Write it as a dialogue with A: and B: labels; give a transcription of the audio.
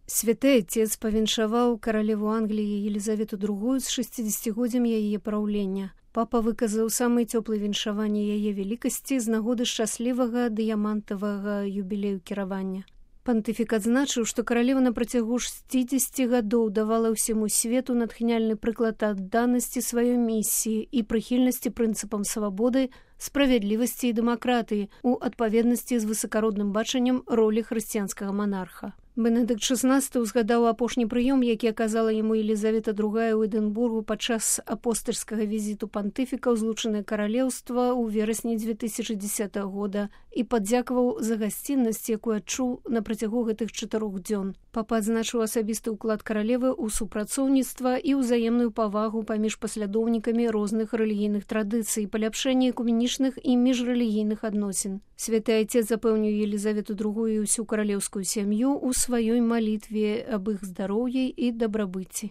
A: Святы Отец павіншаваў каралеву Англіі Елізавету II з 60-годдзям яе праўлення. Папа выказаў самыя цёплыя віншаванні яе велікасці з нагоды шчаслівага дыямантавага юбілею кіравання. Пантыфік адзначыў, што каралева на працягу 60 гадоў давала ўсяму свету натхняльны прыклад адданасці сваёй місіі і прыхільнасці прынцыпам свабоды, справядлівасці і дэмакратыі у адпаведнасці з высакародным бачаннем ролі хрысціянскага монарха. Бенедыкт XVI узгадаў апошні прыём, які аказала яму Елізавета II ў Эдынбургу падчас апостальскага візіту пантыфіка ў Злучанае Каралеўства ў верасні 2010 года і падзякаваў за гасціннасць, якую адчуў на працягу гэтых 4 дзён. Папа адзначыў асабісты ўклад каралевы ў супрацоўніцтва і ўзаемную павагу паміж паслядоўнікамі розных рэлігійных традыцый, паляпшэнне экуменічных і міжрэлігійных адносін. Святы Отец запэўніў Елізавету II і ўсю каралеўскую сям'ю ў сваёй малітве аб іх здароўі і дабрабыце.